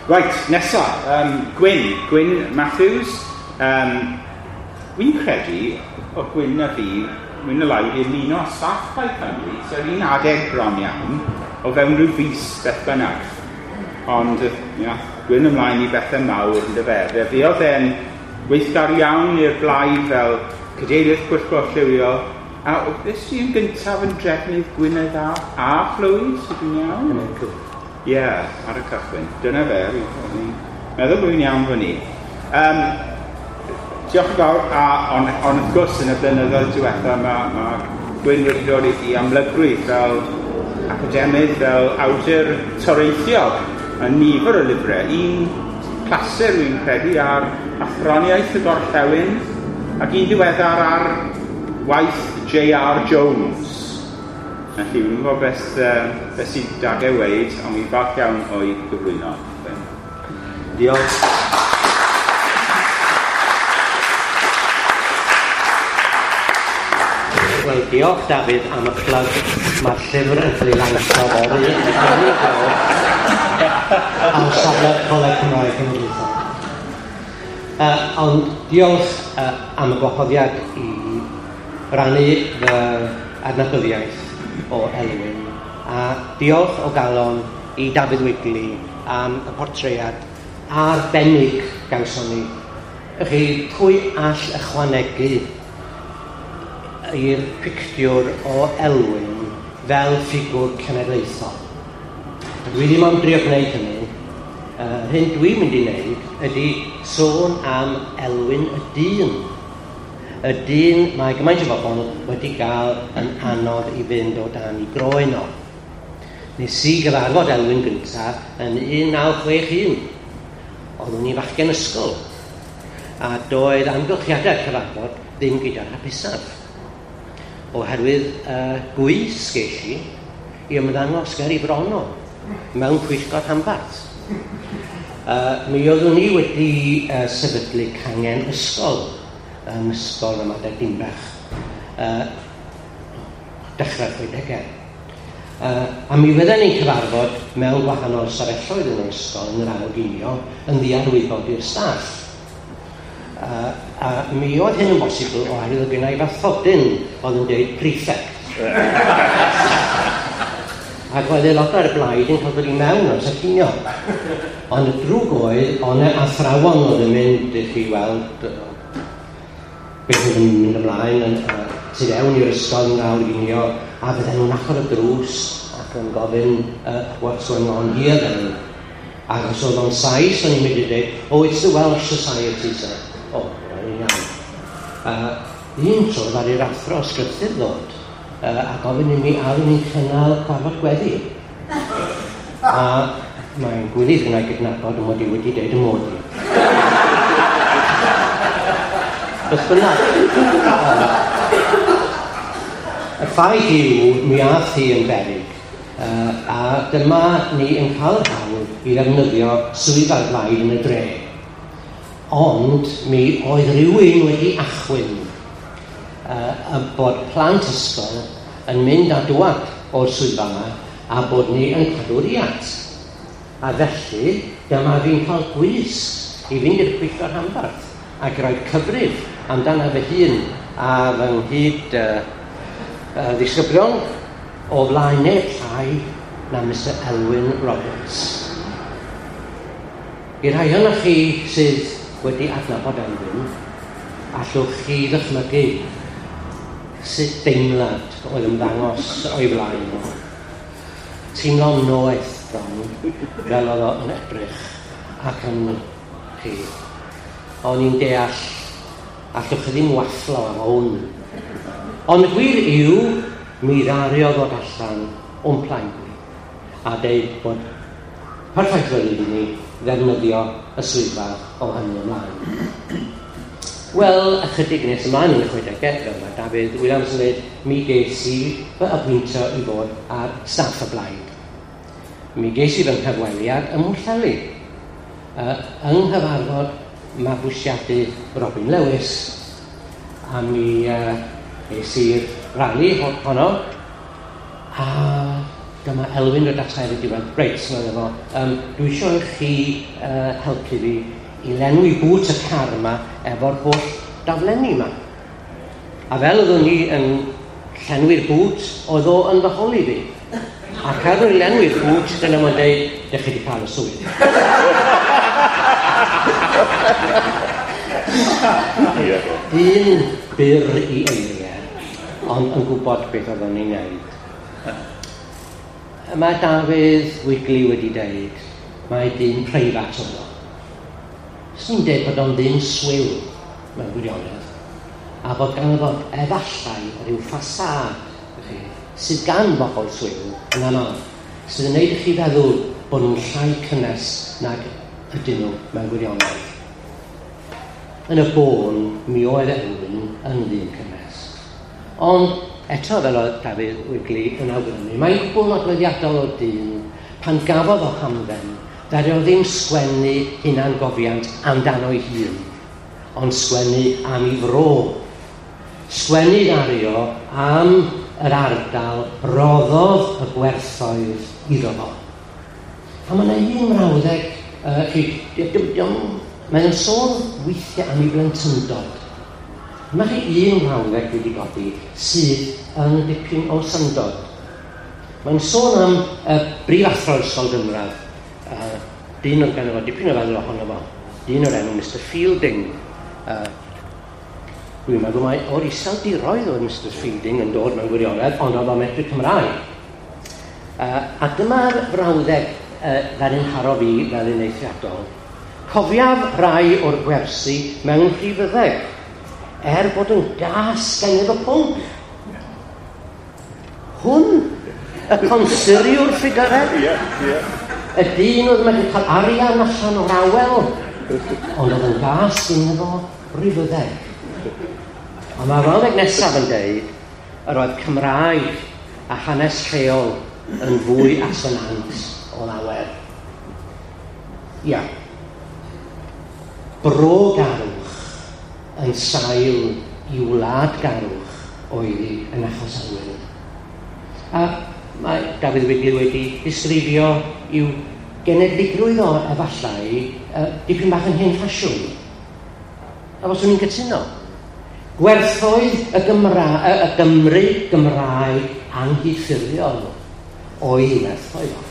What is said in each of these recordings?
Right, nesa, Gwyn Matthews. Wy'n credu o Gwyn a fi, mwy na lai, i ymuno â staff Plaid Cymru, so yr un adeg bron iawn, o fewn rhyw fis beth bynnag. Ond, ia, Gwyn ymlaen i bethau mawr yn dyfe. Fe fuodd e'n weithgar iawn i'r blaid fel cadeirydd pwyllgor lliwio, a beth sy'n gyntaf yn drefnydd Gwynedd a Chlwyd, sydd yn iawn? Ie, yeah, ar y cychwyn. Dyna fe, fi'n meddwl bod fi'n iawn fan ni. Diolch yn fawr, ond wrth gwrs yn y blynyddoedd diwetha mae Gwyn wedi dod i amlygrwydd fel academydd, fel awdur toreithiog a nifer o lyfrau. Un clasur wy'n credu ar athroniaeth y gorllewin ac un diweddar ar waith J.R. Jones. Felly, fi'n gwybod beth sy'n dag e weud, ond fi'n falch iawn o'i gyflwyno. Diolch. Wel, diolch Dafydd am y plug. Mae'r llyfr yn cael ei lansio fory ar safle Coleg Cymraeg Cenedlaethol. Ond diolch am y gwahoddiad i rannu fy adnabyddiaeth o Elwyn, a diolch o galon i Dafydd Wigley am y portread arbennig gawson ni. Chi, pwy all ychwanegu i'r pictiwr o Elwyn fel ffigwr cenedlaethol? Dwi ddim am drio gwneud hynny. Yr hyn dwi'n mynd i wneud ydy sôn am Elwyn y dyn. Y dyn mae gymaint o bobl wedi gael yn anodd i fynd o dan i groen o. Nes i gyfarfod Elwyn gyntaf yn 1961. Oeddwn i fachgen ysgol, a doedd amgylchiadau'r cyfarfod ddim gyda'r hapusaf, oherwydd gwys ges i i ymddangos ger i bron o mewn pwyllgor rhanbarth. Mi oeddwn i wedi sefydlu cangen ysgol yn Ysgol Ramadeg Dinbach, dechrau'r 60au. A mi fydden ni'n cyfarfod mewn gwahanol ystafelloedd yn yr ysgol yn yr awr ginio yn ddiarwybod i'r staff. A mi oedd hyn yn bosibl oherwydd oedd genna i fathodyn oedd yn dweud prefect. Ac oedd aelodau'r blaid yn cael dod i mewn ar y cinio. Ond y drwg oedd, oedd 'na athrawon oedd yn mynd i chi weld beth oedd yn mynd ymlaen yn tu fewn i'r ysgol yn awr ginio, a fydden nhw'n agor y drws ac yn gofyn, what's going on here then? Ac os oedd o'n Sais, o'n i'n mynd i dweud, oh, it's the Welsh Society, sir. Oh, o'n i'n iawn. Un tro ddaru'r athro ysgrythur ddod a gofyn i mi a oeddwn i'n cynnal cyfarfod gweddi. A mae'n gwilydd yna i gydnabod y mod i wedi dweud y mod i. Beth bynnag. Y ffaith yw, mi ath hi yn beryg, a dyma ni yn cael yr hawl i ddefnyddio swyddfa'r blaid yn y dre. Ond mi oedd rhywun wedi achwyn y bod plant ysgol yn mynd a dwad o'r swyddfa yma a bod ni yn cadw'r iat. A felly, dyma fi'n cael gwys i fynd i'r pwyllgor rhanbarth ac rhoi cyfrif amdano fy hun a fy nghyd ddisgyblion o flaen neb llai na Mr Elwyn Roberts. I'r rhai ohonoch chi sydd wedi adnabod Elwyn, allwch chi ddychmygu sut deimlad oedd ymddangos o'i flaen o. Teimlo'n noeth bron, fel oedd o yn edrych ac yn chi. O'n i'n deall, allwch chi ddim wafflo am hwn. Ond y gwir yw, mi ddaru o ddod allan o'n plaid ni a deud bod perffaith ryddid i ni ddefnyddio y swyddfa o hynny ymlaen. Wel, ychydig nes ymlaen yn y 60au, fel mae Dafydd Williams yn dweud, mi ges i fy apwyntio i fod ar staff y blaid. Mi ges i fy nghyfweliad ym Mhwllheli, yng nghyfarfod mabwysiadu Robin Lewis, a mi es i'r rali honno, a Dyma Elwyn dod ata i diwedd. Reit, medde fo, dwi eisiau i chi helpu fi i lenwi bŵt y car yma efo'r holl daflenni yma. A fel oeddwn ni yn llenwi'r bŵt, oedd o yn fy holi fi. Ac ar ôl lenwi'r bŵt, dyna mae'n dweud, dych chi wedi cael y swydd. Dyn byr i eiriau, ond yn gwybod beth oedd o'n ei wneud. Mae Dafydd Wigley wedi dweud, mae dyn preifat oedd o. Swn i'n dweud bod o'n ddyn swil mewn gwirionedd, a bod ganddo fo efallai rhyw ffasâd sydd gan bobl swil yn aml, sydd yn gwneud i chi feddwl bod nhw'n llai cynnes nag ydyn nhw mewn gwirionedd. Yn y bôn, mi oedd Elwyn yn ddyn cynnes. Ond eto, fel oedd Dafydd Wigley yn awgrymu, mae'n gwbl nodweddiadol o dyn pan gafodd o hamdden, ddaru o ddim sgwennu hunangofiant amdano'i hun, ond sgwennu am ei fro. Sgwennu ddaru o am yr ardal roddodd y gwerthoedd iddo fo. A mae yna un mrawddeg, mae'n sôn weithiau am ei blentyndod. Mae chi un mrawddeg wedi godi sydd yn dipyn o syndod. Mae'n sôn am brif athro ysgol gynradd, dyn oedd ganddo fo dipyn o feddwl ohono fo, dyn o'r enw Mr Fielding. Dwi'n meddwl mai o'r Iseldiroedd oedd Mr Fielding yn dod mewn gwirionedd, ond oedd o'n medru Cymraeg. A dyma'r frawddeg ddaru'n nharo fi fel un eithriadol. Cofiaf rai o'r gwersi mewn rhifyddeg, er bod yn gas gennyf y pwnc. Hwn, y consuriwr ffigyrau, y dyn oedd wedi cael arian allan o'r awel, ond oedd yn gas gennyf o rifyddeg. Ond mae'r frawddeg nesaf yn deud yr oedd Cymraeg a hanes lleol yn fwy asonant o lawer. Ia. Bro-garwch yn sail i wladgarwch oedd hi yn achos Elwyn. A mae Dafydd Wigley wedi disgrifio i'w genedligrwydd o efallai dipyn bach yn hen ffasiwn. A fyswn i'n cytuno. Gwerthoedd y Gymru Gymraeg anghydffurfiol oedd ei werthoedd o.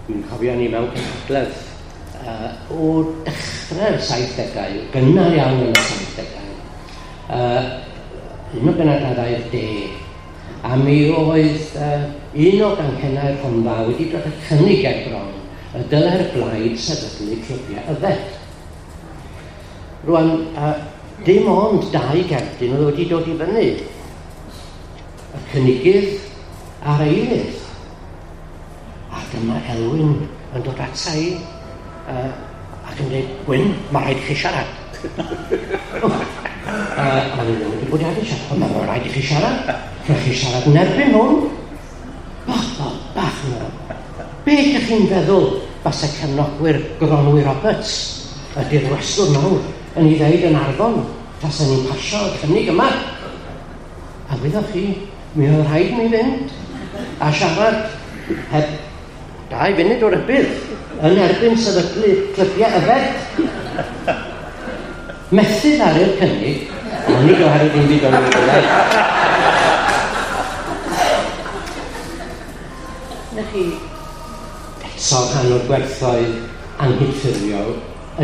Dwi'n cofio ni mewn cynhadledd o dechrau'r 70au, gynnar iawn yn y 70au, un o gynadleddau'r de, a mi oedd un o ganghennau'r Rhondda wedi dod â cynnig ger bron y dylai'r blaid sefydlu clybiau yfed. Rwan, dim ond dau gerdyn oedd wedi dod i fyny. Y cynigydd a'r eilydd. A dyma Elwyn yn dod ata i ac yn dweud, Gwyn, mae rhaid i chi siarad. A fi ddim wedi bwriadu siarad, ond mae rhaid i chi siarad. Rhaid chi siarad yn erbyn hwn. Bach yna. Be ydych chi'n feddwl basa cefnogwyr Goronwy Roberts, y dirwestwr mawr, yn ei ddeud yn Arfon, tasen ni'n pasio y cynnig yma. A wyddoch chi, mi oedd rhaid mi fynd a siarad heb 2 funud o rybudd yn erbyn sefydlu clybiau yfed. Methu ddaru'r cynnig, ond nid oherwydd dim byd o'n ei wneud. Na chi, eto rhan o'r gwerthoedd anghydffurfiol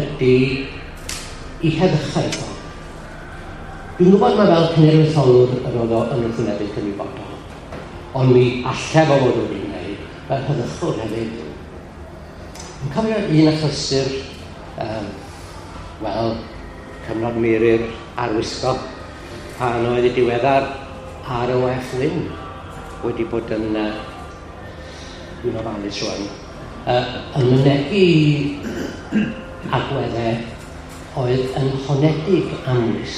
ydy i heddychau o. Dwi'n gwybod mae fel cenedlaetholwr yr oedd o yn wrthwynebu cymwybodol, ond mi allai fo fod wedi gwneud fel heddychwr hefyd. Yn cofio un achlysur, wel, cyfnod Muri'r arwisgo, pan oedd y diweddar R.O.F. Wyn wedi bod yn, dwi'n ofalus rwan, yn mynegi agweddau oedd yn honedig amwys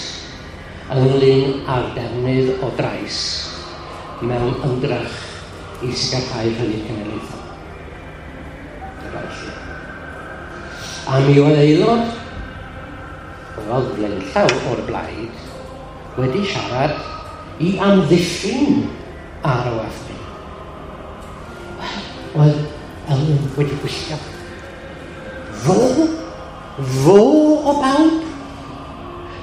ynglyn â'r defnydd o drais mewn ymdrech i sicrhau rhyddid cenedlaethol. A mi oedd aelod oedd blaenllaw o'r blaid wedi siarad i amddiffyn R.O.F. Wyn. Oedd Elwyn wedi gwylltio. Fo? Fo o bawb?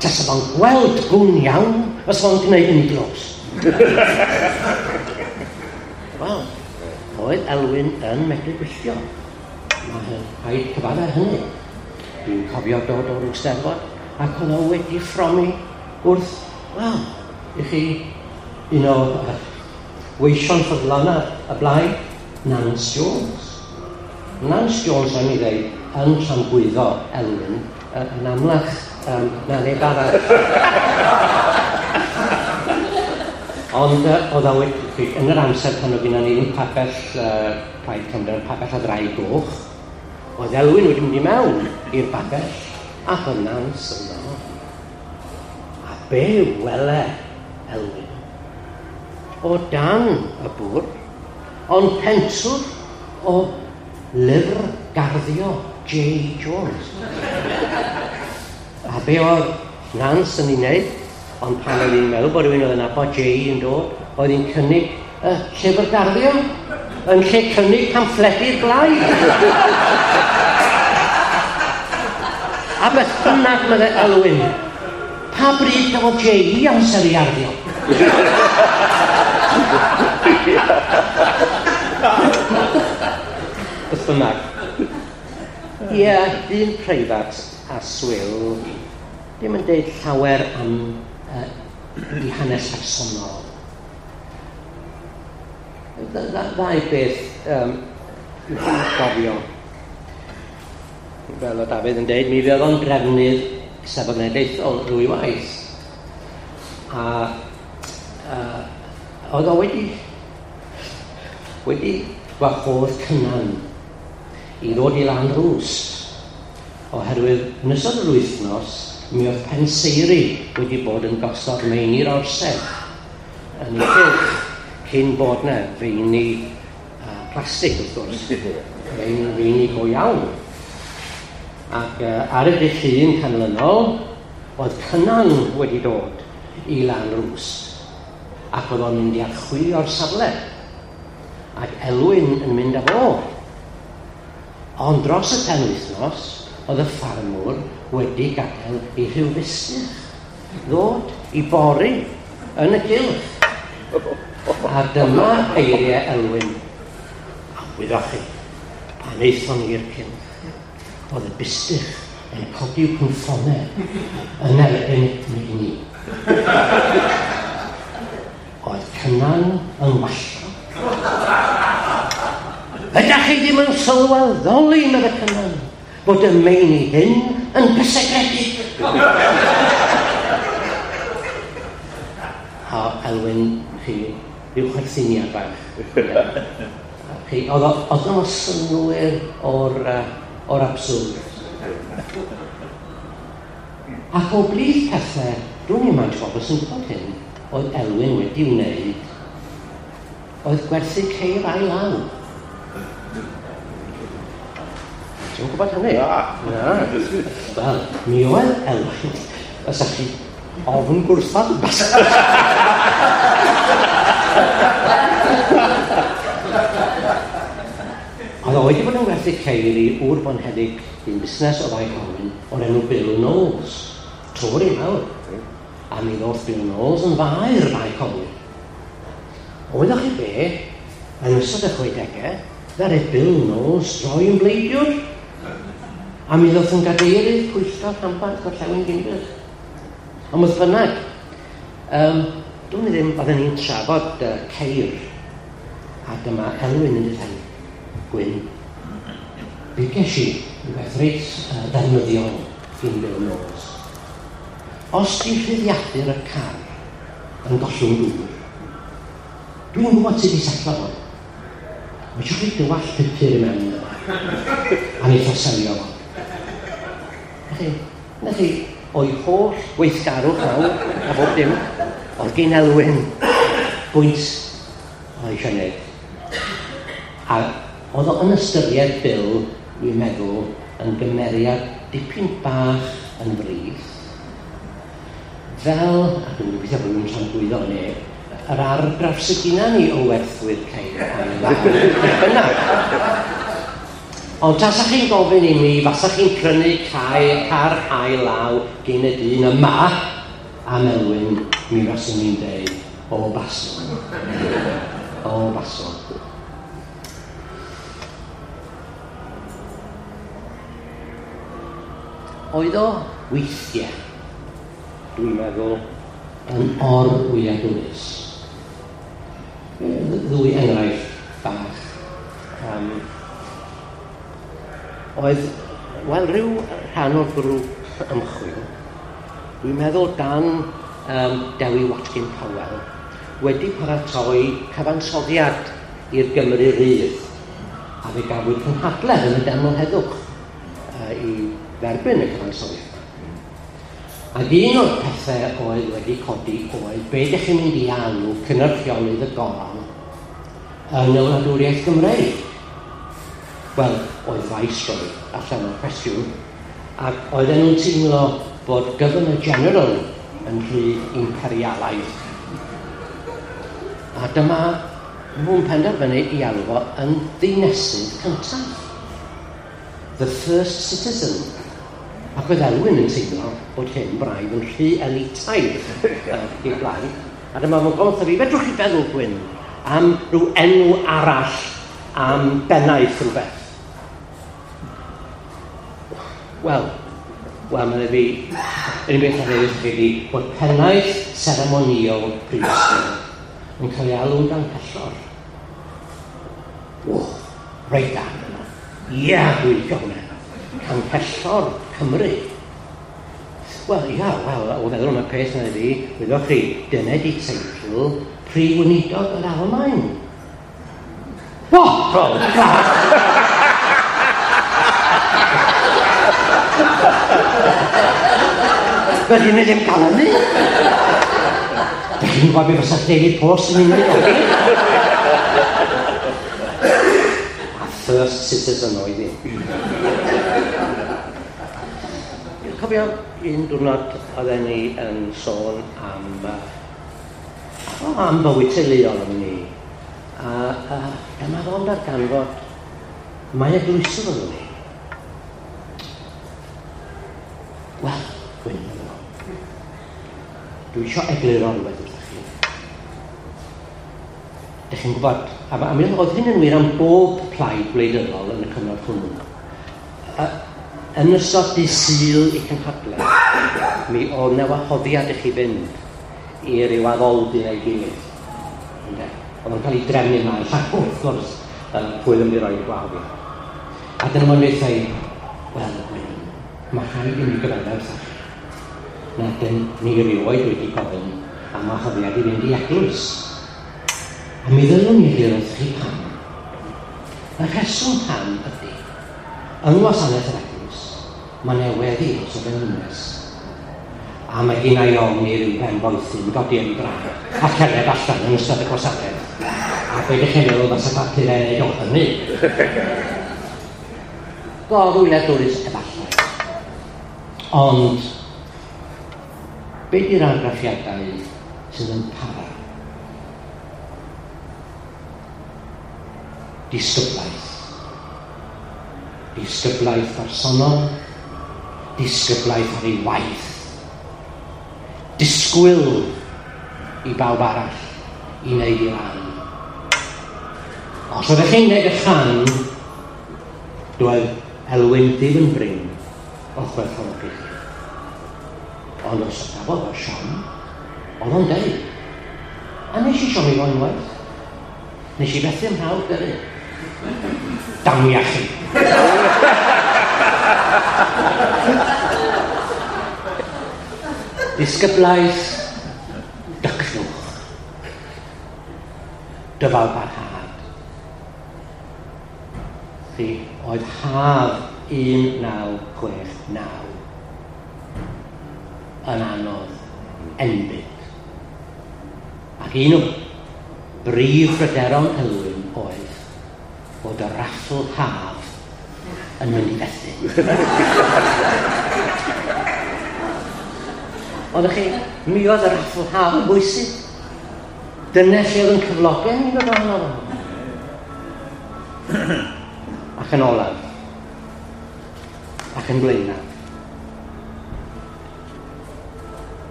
Tasa fo'n gweld gwn iawn, os fo'n gwneud yn glos. Wel, oedd Elwyn yn medru gwylltio. Mae rhaid cyfadde hynny. Dwi'n cofio dod o'r Eisteddfod ac oedd o wedi ffromi wrth, wel, i chi, un o weision ffyddlon y blaid, Nance Jones. Nance Jones, rhaid mi ddeud, yn tramgwyddo Elwyn yn amlach na neb arall. Ond oedd o wedi, yn yr amser pan oedd gynnon ni'n pabell Plaid Cymru, pabell y Ddraig Goch, oedd Elwyn wedi mynd i mewn i'r babell, ac oedd Nance yno. A be wele Elwyn? O dan y bwrdd, ond pentwr o lyfr garddio J. Jones. A be oedd Nance yn ei wneud, ond pan oedd hi'n meddwl bod rhywun oedd yn nabod J yn dod, oedd hi'n cynnig y llyfr garddio yn lle cynnig pamffledi'r blaid. A beth bynnag, meddai Elwyn, pa bryd gafodd J amser i arddio? Beth bynnag. Ie, dyn preifat a swil, ddim yn deud llawer am ei hanes personol. Ddau beth dwi'n gofio. Fel o Dafydd yn deud, mi fydd o'n drefnydd Eisteddfod Genedlaethol ddwy waith. A oedd o wedi gwahodd Cynan i ddod i Lanrwst, oherwydd yn ystod yr wythnos mi oedd penseiri wedi bod yn gosod meini'r orsedd yn ei gylch cyn bod na feini plastig wrth gwrs, feini go iawn. Ac ar y dydd Llun canlynol oedd Cynan wedi dod i Lanrwst ac oedd o'n mynd i archwilio'r safle ac Elwyn yn mynd â fo. Ond dros y penwythnos oedd y ffarmwr wedi gadael i rhyw fustych ddod i bori yn y gylch. A dyma eiriau Elwyn. A wyddoch chi, pan aethon ni i'r cylch, oedd y bustych yn codi'w cynffonau yn erbyn ni. Oedd Cynan yn wallgo. Ydych chi ddim yn sylweddoli, meddai Cynan, bod y meini hyn yn gysegredig. A Elwyn, chi, rhyw chwerthiniad bach. Chi, oedd o'n synnwyr o'r abswrd. Ac o blith pethau, dwi'n i'n maint bobl sy'n gwybod hyn, oedd Elwyn wedi wneud, oedd gwerthu ceir ail law. Ti'n gwybod hynny? Na. Wel, mi oedd Elwyn, os ydych chi ofn gwrthod. Oedd o wedi bod yn gwerthu ceir i ŵr bonheddig dyn busnes o Fae Colwyn o'r enw Bill Knowles. Tory mawr. A mi ddoth Bill Knowles yn faer Bae Colwyn. Oeddech chi be, yn ystod y 60au, ddaru Bill Knowles droi yn bleidiwr. A mi ddoth yn gadeirydd pwyllgor rhanbarth Gorllewin Dinbych. Ond beth bynnag, dwi'n ddim, oedden ni'n trafod ceir, a dyma Elwyn yn dweud, Gwyn, be ges i rhywbeth reit ddefnyddiol gyn Bill Knowles. Os di rhyddiadur y car yn gollwng dŵr, dwi'n gwybod sut i setlo fo. Mae eisiau chi dywallt pupur i mewn iddo fo. A wneith o selio fo. Na chi, o'i holl weithgarwch nawr, a bob dim, oedd gen Elwyn bwynt oedd eisiau gwneud. A oedd o yn ystyried Bill, dwi'n meddwl, yn gymeriad dipyn bach yn frith, fel, a dwi'n gobeithio bod nhw'n tramgwyddo neb, yr argraff sydd gyda ni o werthwyr ceir ail law, beth bynnag. Ond tasach chi'n gofyn i mi, fasach chi'n prynu car ail law gyn y dyn yma, am Elwyn, mi faswn i'n deud, o baswn. O baswn. Oedd o weithiau, dwi'n meddwl, yn or-wyliadwrus. Ddwy enghraifft bach. Oedd, wel, rhyw rhan o'r grŵp ymchwil, dwi'n meddwl dan Dewi Watkin Powell, wedi paratoi cyfansoddiad i'r Gymru Rydd, a fe gafwyd cynhadledd yn y Deml Heddwch i dderbyn y cyfansoddiad. Ac un o'r pethau oedd wedi codi oedd be ydych chi'n mynd i alw cynyrchiolydd y goron yn y wladwriaeth Gymreig? Wel, oedd Viceroy allan o'r cwestiwn, ac oedden nhw'n teimlo bod Governor General yn rhy imperialaidd. A dyma nhw'n penderfynu i alw fo yn ddinesydd cyntaf. The first citizen. Ac oedd Elwyn yn teimlo bod hyn braidd yn rhy elitaidd i'r blaen. A dyma fo'n gofyn wrtho fi, fedrwch chi feddwl, Gwyn, am rhyw enw arall am bennaeth rhywbeth? Wel, meddai fi, yr unig beth a ddeud wrth chi bod pennaeth seremonïol prifysgol yn cael ei alw'n ganghellor. O, reit da. Ia, dwi'n licio hwnna. Canghellor Cymru. Wel, ia, wel, o feddwl am y peth na fi, wyddoch chi, dyna di teitl Prif Weinidog yr Almaen. What? Oh, God! Fel ni ddim cael hynny. Dych chi'n gwybod beth fysa Daily Post yn mynd i ddod? A first citizen oedd hi. Dwi'n cofio un diwrnod oedden ni yn sôn am bywyd teuluol yn ni. A dyma fo'n darganfod mae eglwyswr oedden ni. Wel, Gwyn, dwi eisiau egluro rhywbeth wrthych chi. Dych chi'n gwybod, a mi oedd hyn yn wir am bob plaid gwleidyddol yn y cyfnod hwnnw. Yn ystod dydd Sul i cynhadledd, mi oedd 'na wahoddiad i chi fynd i ryw addoldy neu gilydd. Oedd o'n cael ei drefnu yma, wrth gwrs, pwy ddim wedi rhoi'r gwahoddiad. A dyna fo'n dweud, wel, Gwyn, mae rhaid i mi gyfaddef wrthych chi. Na dyn ni rioed wedi gofyn am wahoddiad i fynd i eglwys. A mi ddylwn i egluro wrthych chi pam. Y rheswm pam ydy, yng ngwasanaeth yr eglwys, mae 'na weddi dros y frenhines. A mae gen i ofn i ryw ben boethyn godi ar ei draed a cerdded allan yn ystod y gwasanaeth. A be ydych chi'n meddwl fysa papurau yn neud o hynny? Gorwyliadwrus efallai. Ond be di'r argraffiadau sydd yn para? Disgyblaeth. Disgyblaeth bersonol, disgyblaeth ar ei waith. Disgwyl i bawb arall i wneud ei ran. Os oeddech chi'n gwneud y rhan, doedd Elwyn ddim yn brin o chwerthfawrogi chi. Ond os gafodd o siom, oedd o'n deud. A nes i siomi fo unwaith. Nes i fethu ym mhrawf gyrru. Damia chi. Disgyblaeth, dycnwch, dyfal barhad. Chi oedd haf 1969 yn anodd enbyd. Ac un o brif bryderon Elwyn oedd bod y raffl haf yn mynd i fethu. Ond chi, mi oedd y raffl haf yn bwysig. Dyna lle oedd yn cyflogau ni'n dod arno fo. Ac yn olaf, ac yn blaenaf,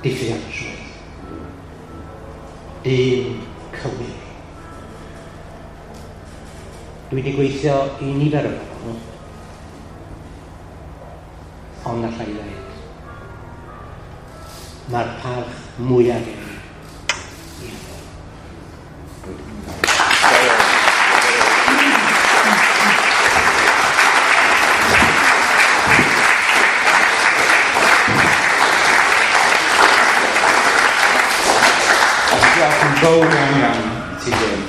diffuantrwydd, dyn cywir. Dwi wedi gweithio i nifer o bobl, ond allai ddweud, mae'r parch mwyaf gen i i Hywel. Diolch yn fawr iawn iawn i ti, Gwyn.